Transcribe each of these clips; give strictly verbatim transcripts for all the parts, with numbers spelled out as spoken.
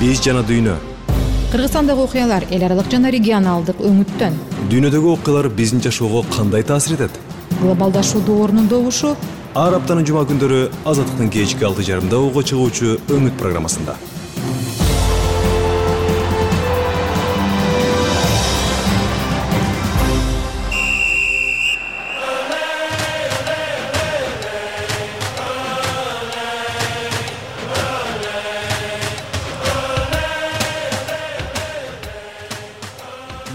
биз жана дүйнө. Кыргызстандагы окуялар эл аралык жана регионалдык өңүттөн. Дүйнөдөгү окуялар биздин жашоого кандай таасир этет? Глобалдашуу доорунун добушу ар аптанын жума күндөрү Азаттыктын кечки алты жарымда уго чыгуучу өңүт программасында.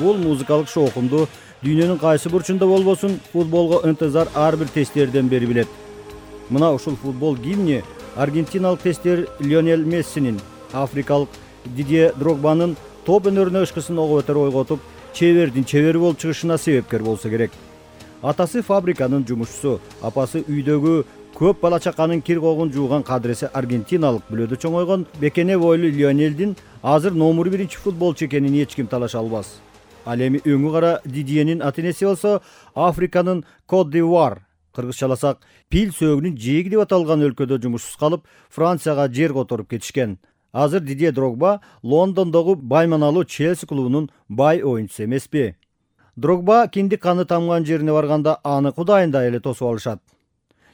Бул музыкалык шоукумду дүйнөнүн кайсы бурчунда болбосун футболго ынтызар ар бир тестерден бери билет. Мына ушул футбол гимни аргентиналык тестер Лионель Мессинин, африкалык Дидье Дрогбанын топ өнөрүнө ышкысын ого өтөр ойготуп, чебердин чебери болуп чыгышына себепкер болсо керек. Атасы фабриканын жумушчусу, апасы үйдөгү көп бала чаканын кир когун жууган кадыресе аргентиналык бүлөдө чоңойгон бекене бойлуу Лионелдин азыр номер биринчи футболчу экенин эч ким талаша албас. Ал эми өңү кара Дидьенин ата-энеси болсо Африканын Кот-д'Ивуар, кыргызчаласак пил сөөгүнүн жээги деп аталган өлкөдө жумушсуз калып, Францияга жер которуп кетишкен. Азыр Дидье Дрогба Лондондогу байманалуу Челси клубунун бай оюнчусу эмеспи? Дрогба киндик каны тамган жерине барганда аны кудайындай эле тосуп алышат.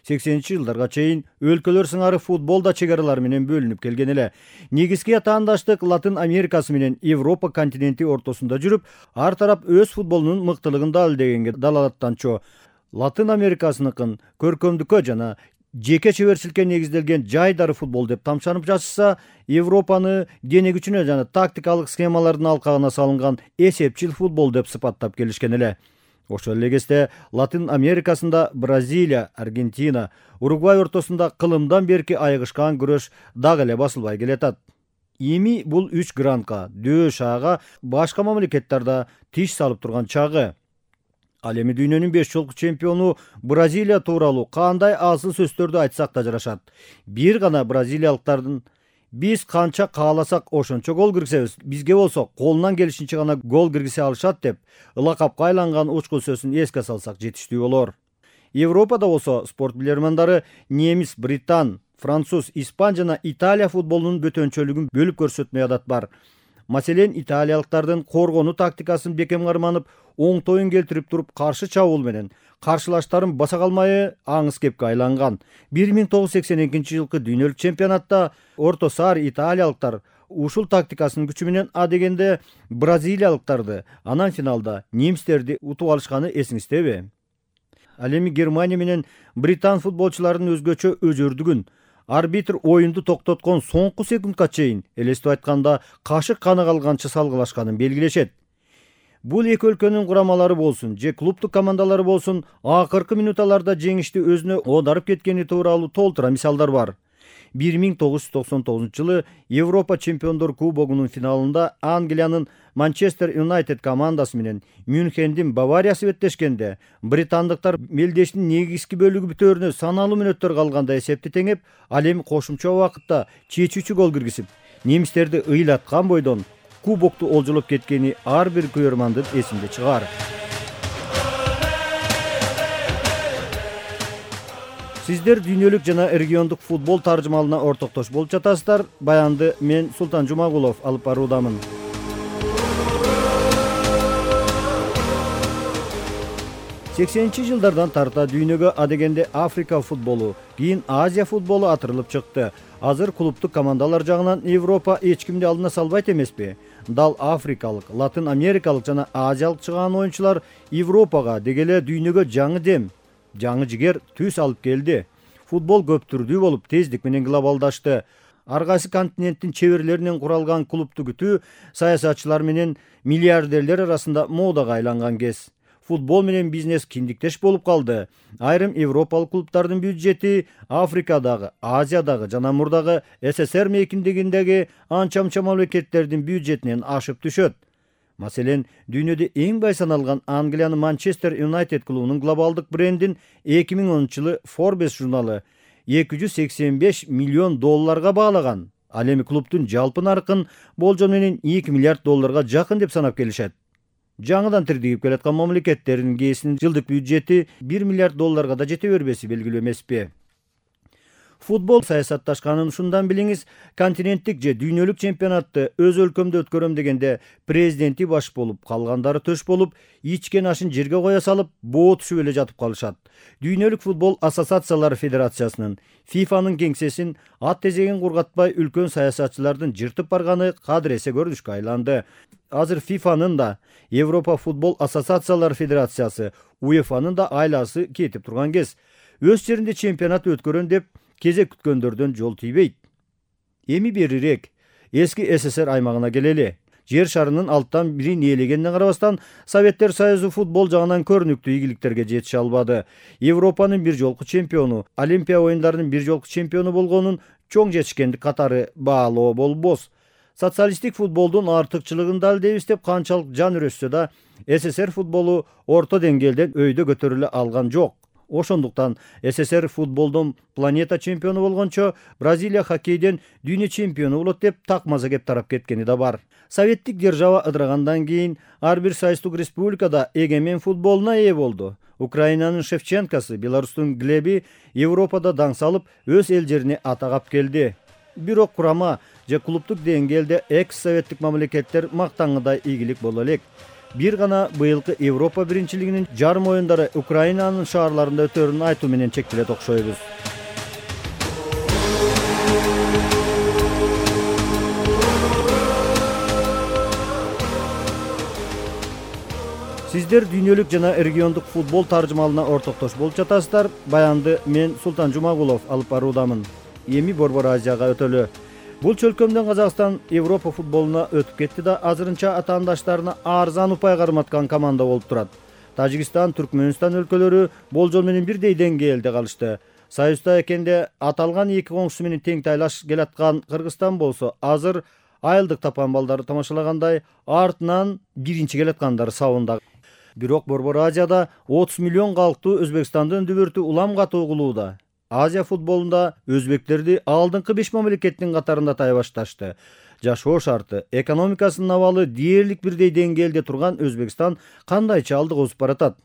сексенинчи жылдарга чейин өлкөлөр сыңары футбол да чек аралар менен бөлүнүп келген эле. Негизги атаандаштык Латын Америкасы менен Европа континенти ортосунда жүрүп, ар тарап өз футболунун мыктылыгын далилдегенге далалаттанчу. Латын Америкасыныкын көркөмдүккө жана жеке чеберчиликке негизделген жайдары футбол деп тамшанып жатышса, Европаны дене күчүнө жана тактикалык схемалардын алкагына салынган эсепчил футбол деп сыпаттап келишкен эле. Ошол эле кезде Латын Америкасында Бразилия, Аргентина, Уругвай ортосунда кылымдан берки айыгышкан күрөш дагы эле басылбай келатат. Эми бул үч грандка, дөш ага башка мамлекеттерде тиш салып турган чагы. Ал эми дүйнөнүн беш жолку чемпиону Бразилия тууралуу кандай асыл сөздөрдү айтсак да жарашат. Бир гана бразилиялыктардын биз канча кааласак ошончо гол киргизебиз, бизге болсо колунан келишинче гана гол киргизе алышат деп ылакапка айланган учкул сөзүн эске салсак жетиштүү болор. Европада болсо спорт билермандары немис, британ, француз, испан жана Италия футболунун бөтөнчөлүгүн бөлүп көрсөтмөй адат бар. Маселен, италиялыктардын коргонуу тактикасын бекем карманып, оңтоюн келтирип туруп каршы чабуул менен каршылаштарын баса калмай аңыз кепке айланган. бир миң тогуз жүз сексен экинчи жылкы дүйнөлүк чемпионатта орто саар италиялыктар ушул тактикасынын күчү менен адегенде бразилиялыктарды, анан финалда немистерди утуп алышканы эсиңиздеби? Ал эми Германия менен британ футболчуларынын өзгөчө өзөрдүгүн, арбитр оюнду токтоткон соңку секундка чейин, элестип айтканда кашык каны калганча салгылашканын белгилешет. Бул эки өлкөнүн курамалары болсун, же клубдук командалары болсун, акыркы минуталарда жеңишти өзүнө оодарып кеткени тууралуу толтура мисалдар бар. бир миң тогуз жүз токсон тогузунчу жылы Европа чемпиондор кубогунун финалында Англиянын Манчестер Юнайтед командасы менен Мюнхендин Бавариясы беттешкенде, британдыктар мелдештин негизги бөлүгү бүтөөрүнө саналуу мүнөттөр калганда эсепти теңеп, ал эми кошумча убакытта чечүүчү гол киргизип, немистерди ыйлаткан бойдон кубокту олжолоп кеткени ар бир көрөрмандын эсинде чыгар. Сиздер дүйнөлүк жана региондук футбол таржымалына ортоктош болуп жатасыздар. Баянды мен Султан Жумагулов алып баруудамын. сексенинчи жылдардан тарта дүйнөгө адегенде Африка футболу, кийин Азия футболу атырылып чыкты. Азыр клубдук командалар жагынан Европа эч кимди алдына салбайт эмеспи? Дал африкалык, латын америкалык жана азиялык чыган оюнчулар Европага дегеле дүйнөгө жаңы дем, жаңы жигер түс алып келди. Футбол көп түрдүү болуп, тездик менен глобалдашты. Ар кайсы континенттин чеберлеринен куралган клубту күтүү саясатчылар менен миллиардерлер арасында модага айланган кез. Футбол менен бизнес киндиктеш болуп калды. Айрым европалык клубтардын бюджети Африкадагы, Азиядагы жана мурдагы СССР мейкиндигиндеги анча-мунча мамлекеттердин бюджетинен ашып түшөт. Маселен, дүйнөдө эң бай саналган Англиянын Манчестер Юнайтед клубунун глобалдык брендин эки миң онунчу жылы Forbes журналы эки жүз сексен беш миллион долларга баалаган. Ал эми клубдун жалпы наркын болжол менен эки миллиард долларга жакын деп санап келишет. Жаңыдан тирдигип келаткан мамлекеттердин кээсинин жылдык бюджети бир миллиард долларга да жете бербеси белгилүү эмеспи? Футбол саясатташканын ушундан билиңиз. Континенттик же дүйнөлүк чемпионатты өз өлкөмдө өткөрөм дегенде президенти баш болуп, калгандары төш болуп, ичкен ашын жерге коя салып, боо түшүп эле жатып калышат. Дүйнөлүк футбол ассоциациялары федерациясынын, фифанын кеңсесин ат тезегин кургатпай үлкөн саясатчылардын жыртып барганы кадыресе көрүнүшкө айланды. Азыр фифанын да, Европа футбол ассоциациялары федерациясы, УЕФАнын да айласы кетип турган кез. Өз жеринде чемпионат өткөрөн деп кезек күткөндөрдөн жол тийбейт. Эми берирээк эски СССР аймагына келели. Жер шарынын алттан бирин ээлегенине карабастан, Советтер Союзу футбол жагынан көрүнүктүү ийгиликтерге жетише албады. Европанын бир жолку чемпиону, Олимпия оюндарынын бир жолку чемпиону болгонун чоң жетишкендик катары баалоо болбос. Социалисттик футболдун артыкчылыгын далдейбиз деп канчалык жан үрөшсө да, СССР футболу орто деңгээлде өйдө көтөрүлө алган жок. Ошондуктан СССР футболдон планета чемпиону болгончо, Бразилия хоккейден дүйнө чемпиону болот деп такмаза кеп тарап кеткени да бар. Советтик держава ыдырагандан кийин ар бир союздук республикада эгемен футболуна ээ болду. Украинанын Шевченкосы, Беларустун Глеби Европада даң салып, өз эл жерине атагап келди. Бирок курама же клубдук деңгээлде экс-советтик мамлекеттер мактаңыдай ийгилик боло элек. Бир гана быйылкы Европа биринчилигинин жарым оюндары Украинанын шаарларында өтөрүн айтуу менен чектелет окшойбуз. Сиздер дүйнөлүк жана региондук футбол таржымалына ортоктош болуп жатасыздар. Баянды мен Султан Жумагулов алып баруудамын. Эми Борбор Азияга өтөлү. Бул чөлкөмдөн Казакстан Европа футболуна өтүп кетти да, азырынча атаандаштарына арзан упай карматкан команда болуп турат. Тажикстан, Түркмөнстан өлкөлөрү болжол менен бирдей деңгээлде калышты. Союзда экенде аталган эки коңшусу менен тең тайлаш келаткан Кыргызстан болсо, азыр айылдык тапан балдары тамашалагандай артынан биринчи келаткандары сабында. Бирок Борбор Азияда отуз миллион калктуу Өзбекстандын дүбүртү улам катуу кылууда. Азия футболунда өзбектерди алдыңкы беш мамлекеттин катарында тай башташты. Жашоо шарты, экономикасынын абалы дээрлик бирдей деңгээлде турган Өзбекстан кандайча алдыга озуп баратат?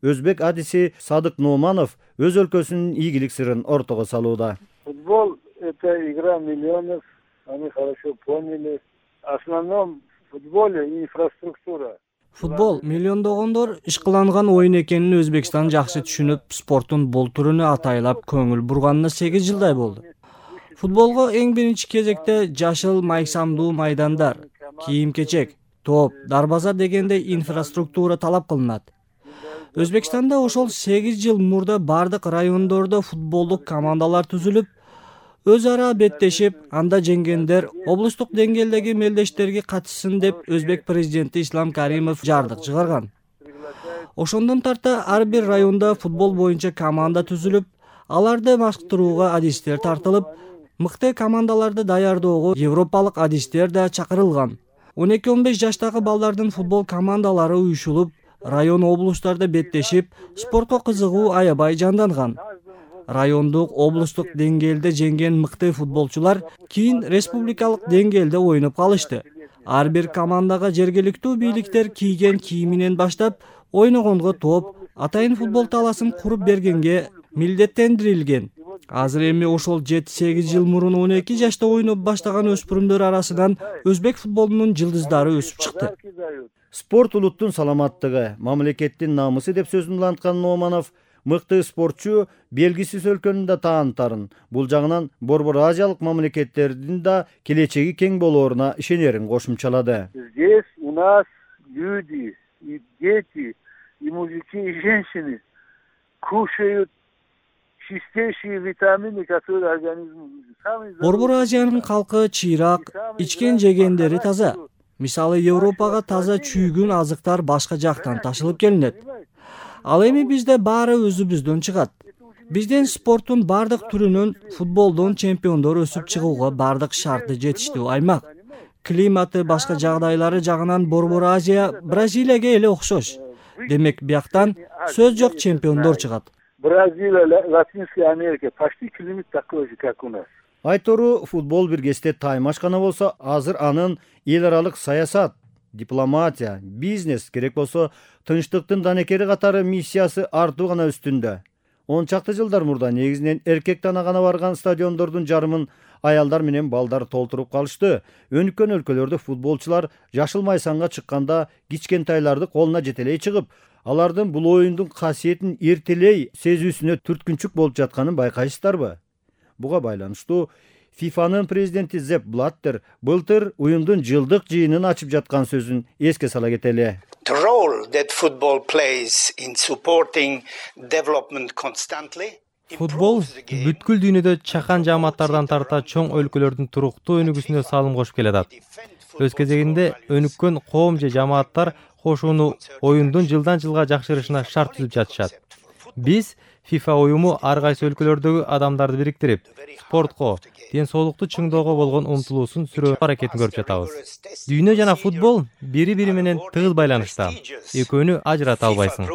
Өзбек адиси Садык Нууманов өз өлкөсүнүн ийгилик сырын ортого салууда. Футбол — это игра миллионов, они хорошо поняли. В основном в футболе инфраструктура. Футбол миллиондогондор ишкыланган оюн экенин Өзбекстан жакшы түшүнүп, спорттун бул түрүнө атайлап көңүл бурганына сегиз жылдай болду. Футболго эң биринчи кезекте жашыл майсамдуу майдандар, кийим-кечек, топ, дарбаза дегендей инфраструктура талап кылынат. Өзбекстанда ошол сегиз жыл мурда бардык райондордо футболдук командалар түзүлүп, өз ара беттешип, анда жеңгендер облустук деңгээлдеги мелдештерге катышсын деп Өзбек президенти Ислам Каримов жардык чыгарган. Ошондон тарта ар бир районда футбол боюнча команда түзүлүп, аларды маштырууга адистер тартылып, мыкты командаларды даярдоого европалык адистер да чакырылган. он эки он беш жаштагы балдардын футбол командалары уюшулуп, район облустарда беттешип, спортко кызыгуу аябай жанданган. Райондук, облустук деңгээлде жеңген мыкты футболчулар кийин республикалык деңгээлде ойноп калышты. Ар бир командага жергиликтүү бийликтер кийген кийиминен баштап, ойногонго топ, атайын футбол таласын куруп бергенге милдеттендирилген. Азыр эми ошол жети сегиз жыл мурун он эки жашта ойноп баштаган өспүрүмдөр арасынан өзбек футболунун жылдыздары өсүп чыкты. Спорт улуттун саламаттыгы, мамлекеттин намысы деп сөзүн уланткан Нууманов, мыкты спортчу белгисиз өлкөнүн да таанытарын, бул жагынан Борбор Азиялык мамлекеттердин да келечеги кең болооруна ишенерин кошумчалады. Здесь у нас люди, и дети, и мужики, и женщины кушают чистейшие витамины, которые организму нужны. Борбор Азиянын калкы чыйрак, ичкен жегендери таза. Мисалы Европага таза чүйгүн азыктар башка жактан ташылып келинет. Ал эми бизде баары өзүбүздөн чыгат. Бизден спорттун бардык түрүнөн футболдон чемпиондор өсүп чыгууга бардык шарты жетиштүү аймак. Климаты, башка жагдайлары жагынан Борбор Азия Бразилияга эле окшош. Демек бияктан сөз жок чемпиондор чыгат. Бразилия, Латинская Америка, почти климат такой же, как у нас. Айтору футбол биргесте таймашкана болсо, азыр анын эл аралык саясат, дипломатия, бизнес керек болсо, тынчтыктын данекери катары миссиясы артуу гана үстүндө. он чакты жылдар мурда негизинен эркек тана гана барган стадиондордун жарымын аялдар менен балдар толтуруп калышты. Өнүккөн өлкөлөрдө футболчулар жашыл майсанга чыкканда кичкентайларды колуна жетелей чыгып, алардын бул оюндун касиетин эртелей сезүүсүнө түрткүнчүк болуп жатканын байкайсыздарбы? Буга байланыштуу фифанын президенти Зепп Блаттер былтыр уюмдун жылдык жыйынын ачып жаткан сөзүн эске сала кетели. The role that football plays in supporting development constantly. Футбол бүткүл дүйнөдө чакан жааматтардан тарта чоң өлкөлөрдүн туруктуу өнүгүүсүнө салым кошуп келатат. Өз кезегинде өнүккөн коом же жааматтар кошууну оюндун жылдан жылга жакшырышына шарт түзүп жатышат. Биз FIFA уюму ар кайсы өлкөлөрдөгү адамдарды бириктирип, спортко, ден соолукту чыңдоого болгон умтулуусун сүрөө аракетин көрүп жатабыз. Дүйнө жана футбол бири-бири менен тыгыз байланышта. Экөөнү ажырата албайсың.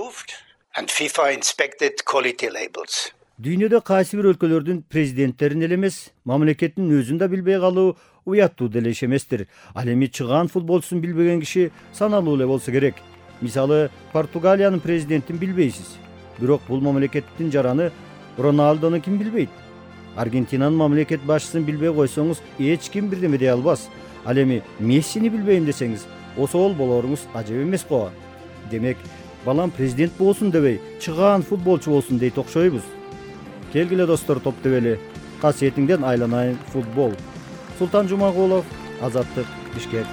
Дүйнөдө кайсы бир өлкөлөрдүн президенттерин эле эмес, мамлекеттин өзүн да билбей калуу уяттуу деле иш эместир. Ал эми чыгаан футболчусун билбеген киши саналуу эле болсо керек. Мисалы, Португалиянын президентин билбейсиз. Бирок бул мамлекеттин жараны Роналдону ким билбейт? Аргентинанын мамлекет башчысын билбей койсоңуз, эч ким бирдеме дей албас. Ал эми Мессини билбейм десеңиз, осол болоруңуз ажап эмес го. Демек, балам президент болсун дебей, чыгаан футболчу болсун дейт окшойбуз. Келгиле достор, топ тебели. Касиетиңден айланайын футбол. Султан Жумагулов, Азаттык, Бишкек.